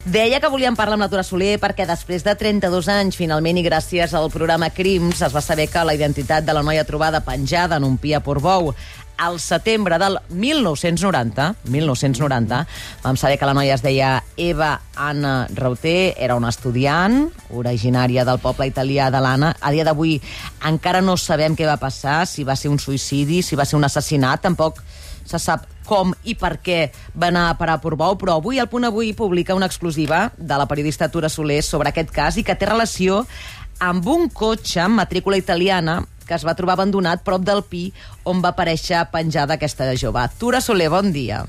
Deia que volíem parlar amb la Tura Soler perquè després de 32 anys, finalment, i gràcies al programa Crims, es va saber que la identitat de la noia trobada penjada en un pi a Portbou al setembre del 1990, vam saber que la noia es deia Eva Anna Rauter, era una estudiant originària del poble italià de l'Anna. A dia d'avui encara no sabem què va passar, si va ser un suïcidi, si va ser un assassinat, tampoc se sap com i per què va anar a parar a Portbou, però avui El Punt Avui publica una exclusiva de la periodista Tura Soler sobre aquest cas i que té relació amb un cotxe amb matrícula italiana que es va trobar abandonat prop del pi on va aparèixer penjada aquesta jove. Tura Soler, bon dia.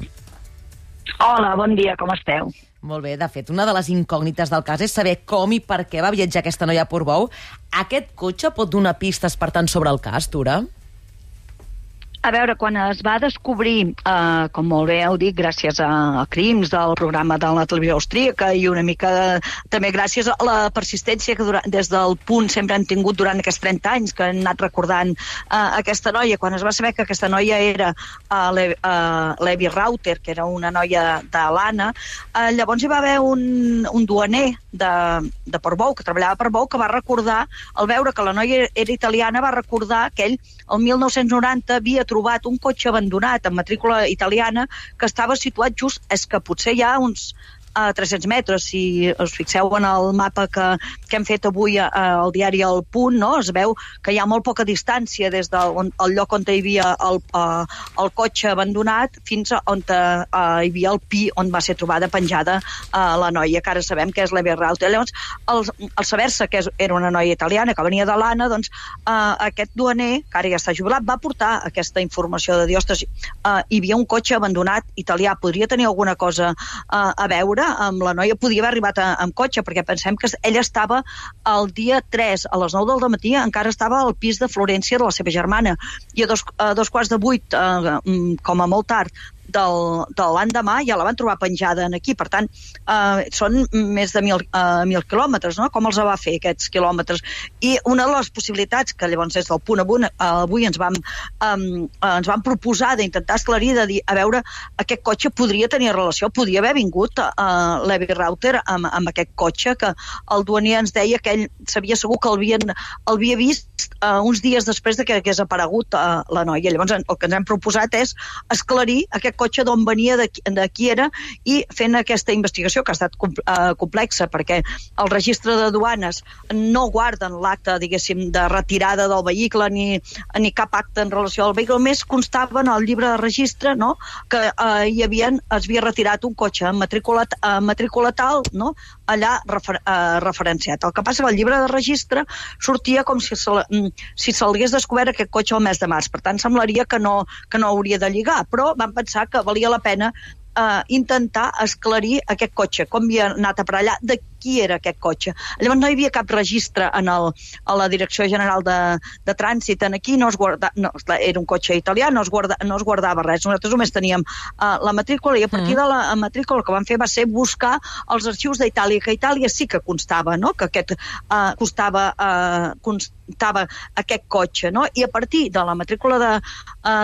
Hola, bon dia, com esteu? Molt bé, de fet, una de les incògnites del cas és saber com i per què va viatjar aquesta noia a Portbou. Aquest cotxe pot donar pistes, per tant, sobre el cas, Tura? A veure, quan es va descobrir, com molt bé heu dit, gràcies a Crims del programa de la televisió austríaca i una mica també gràcies a la persistència que des del Punt sempre han tingut durant aquests 30 anys, que han anat recordant aquesta noia, quan es va saber que aquesta noia era l'Evi Rauter, que era una noia de l'Anna, llavors hi va haver un duaner de Portbou, que treballava a Portbou, que va recordar, al veure que la noia era italiana, va recordar que ell, el 1990, havia trobat un cotxe abandonat amb matrícula italiana que estava situat just, és que potser hi ha uns 300 metres, si us fixeu en el mapa que hem fet avui al diari El Punt, no? Es veu que hi ha molt poca distància des del lloc on hi havia el cotxe abandonat fins on hi havia el pi on va ser trobada penjada la noia, que ara sabem que és l'Evi Rauter. Llavors, al saber-se que era una noia italiana que venia de l'Anna, doncs aquest duaner, que ara ja està jubilat, va portar aquesta informació de dir, ostres, hi havia un cotxe abandonat italià, podria tenir alguna cosa a veure amb la noia, podia haver arribat amb cotxe, perquè pensem que ella estava el dia 3 a les 9 del matí, encara estava al pis de Florència de la seva germana, i a dos quarts de 8, com a molt tard, de l'endemà ja la van trobar penjada aquí. Per tant, són més de 1.000 quilòmetres, no? Com els va fer aquests quilòmetres? I una de les possibilitats que llavors des del Punt avui ens van proposar d'intentar esclarir, de dir, a veure, aquest cotxe podria tenir relació, podia haver vingut l'Evi Rauter amb aquest cotxe, que el duaner ens deia que ell sabia segur que l'havia vist uns dies després de que hagués aparegut la noia. Llavors el que ens hem proposat és esclarir aquest cotxe d'on venia, de qui era, i fent aquesta investigació, que ha estat complexa, perquè el registre de duanes no guarden l'acte, diguéssim, de retirada del vehicle, ni cap acte en relació al vehicle, només constava en el llibre de registre, no?, que es havia retirat un cotxe amb matrícula tal, no?, allà referenciat. El que passa que el llibre de registre sortia com si s'hagués descobert aquest cotxe el mes de març. Per tant, semblaria que no hauria de lligar, però vam pensar que valia la pena intentar esclarir aquest cotxe, com havia anat a parar allà, de qui era aquest cotxe. Llavors no hi havia cap registre a la Direcció General de Trànsit aquí, era un cotxe italià, no es guardava res. Nosaltres només teníem la matrícula, i a partir de la matrícula el que vam fer va ser buscar els arxius d'Itàlia, que a Itàlia sí que constava, no?, que constava aquest cotxe, no? I a partir de la matrícula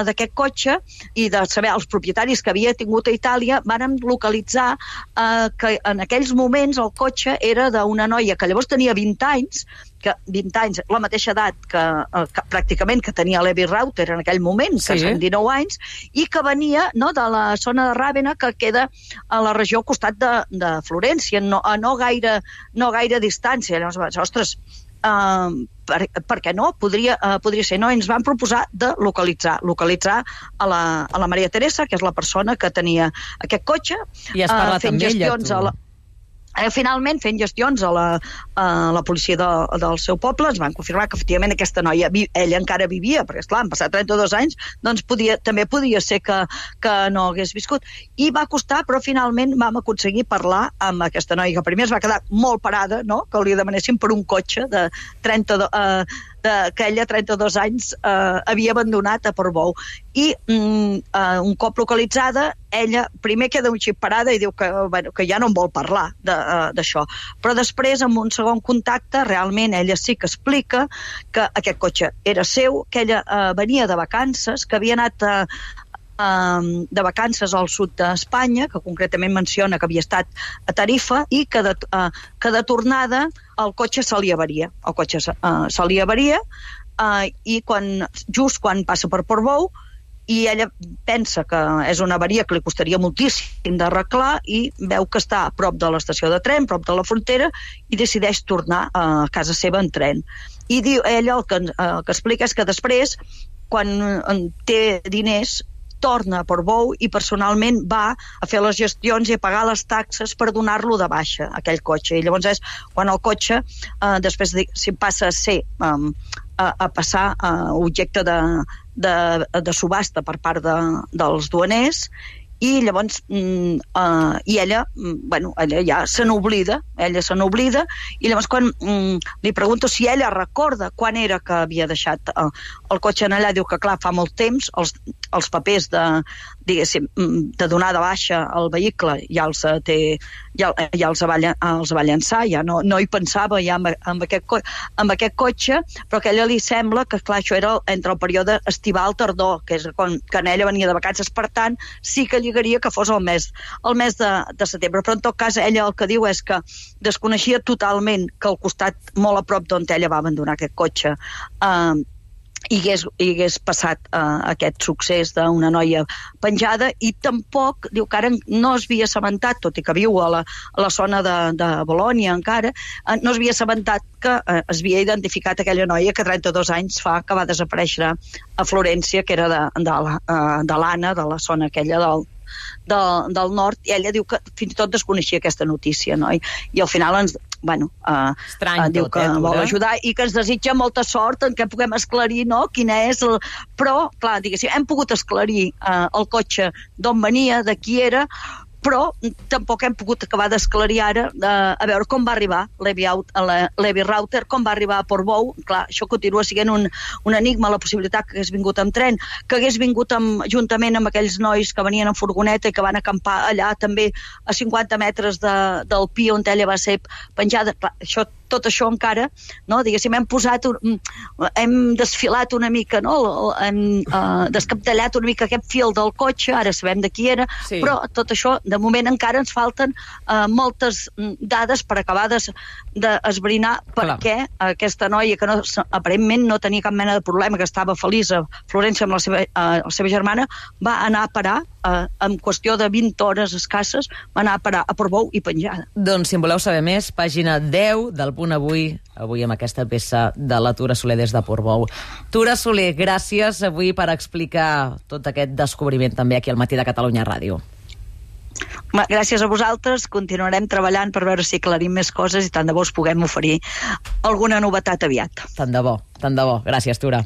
d'aquest cotxe i de saber els propietaris que havia tingut a Itàlia, vàrem localitzar que en aquells moments el cotxe era d'una noia que llavors tenia 20 anys, la mateixa edat que pràcticament que tenia l'Evi Rauter en aquell moment, que són 19 anys, i que venia, no, de la zona de Ràvena, que queda a la regió al costat de Florència, no gaire distància. Llavors, ostres, per què no? Podria ser, no? Ens van proposar de localitzar a la Maria Teresa, que és la persona que tenia aquest cotxe, i has parlat amb ella, tu? Finalment, fent gestions a la policia del seu poble, ens van confirmar que efectivament aquesta noia, ella encara vivia, perquè esclar, han passat 32 anys, doncs també podia ser que no hagués viscut. I va costar, però finalment vam aconseguir parlar amb aquesta noia, que primer es va quedar molt parada, no?, que li demanessin per un cotxe de 32 que ella, 32 anys, havia abandonat a Portbou. I un cop localitzada, ella primer queda un xip parada i diu que ja no en vol parlar d'això. Però després, amb un segon contacte, realment ella sí que explica que aquest cotxe era seu, que ella venia de vacances, que havia anat de vacances al sud d'Espanya, que concretament menciona que havia estat a Tarifa, i que de tornada el cotxe se li avaria. El cotxe se li avaria i just quan passa per Portbou, i ella pensa que és una avaria que li costaria moltíssim d'arreglar i veu que està a prop de l'estació de tren, prop de la frontera, i decideix tornar a casa seva en tren. I ella el que explica és que després, quan té diners, torna a Portbou i personalment va a fer les gestions i a pagar les taxes per donar-lo de baixa, aquell cotxe. I llavors és quan el cotxe després passa a ser a passar objecte de subhasta per part dels duaners, i llavors ella ja se n'oblida, i llavors quan li pregunto si ella recorda quan era que havia deixat el cotxe allà, diu que clar, fa molt temps, els papers de donar de baixa el vehicle ja els va llançar, ja no hi pensava ja amb aquest cotxe, però que a ella li sembla que clar, això era entre el període estival-tardor, que és quan ella venia de vacances, per tant sí que lligaria que fos el mes de setembre, però en tot cas ella el que diu és que desconeixia totalment que al costat, molt a prop d'on ella va abandonar aquest cotxe, hi hagués passat aquest succés d'una noia penjada, i tampoc, diu que ara no es havia assabentat, tot i que viu a la zona de Bolònia encara, no es havia assabentat que es havia identificat aquella noia que 32 anys fa que va desaparèixer a Florència, que era de l'Anna, de la zona aquella del nord, i ella diu que fins i tot desconeixia aquesta notícia, no? I al final diu que vol ajudar i que ens desitja molta sort en què puguem esclarir, no?, quina és però, clar, diguéssim, hem pogut esclarir el cotxe d'on venia, de qui era, però tampoc hem pogut acabar d'esclarir ara a veure com va arribar Levi Rauter, com va arribar a Portbou. Clar, això continua sent un enigma, la possibilitat que hagués vingut amb tren, que hagués vingut juntament amb aquells nois que venien en furgoneta i que van acampar allà també a 50 metres del pi on ella va ser penjada. Clar, tot això encara, no? Diguéssim, hem desfilat una mica, no? Hem descaptellat una mica aquest fil del cotxe, ara sabem de qui era, sí. Però tot això, de moment encara ens falten moltes dades per acabar d'esbrinar per què aquesta noia, que aparentment no tenia cap mena de problema, que estava feliç a Florència amb la seva germana, va anar a parar, en qüestió de 20 hores escasses, va anar a parar a Portbou i penjada. Doncs si en voleu saber més, pàgina 10 del Punt Avui amb aquesta peça de la Tura Soler des de Portbou. Tura Soler, gràcies avui per explicar tot aquest descobriment també aquí al Matí de Catalunya Ràdio. Gràcies a vosaltres, continuarem treballant per veure si aclarim més coses i tant de bo us puguem oferir alguna novetat aviat. Tant de bo. Gràcies, Tura.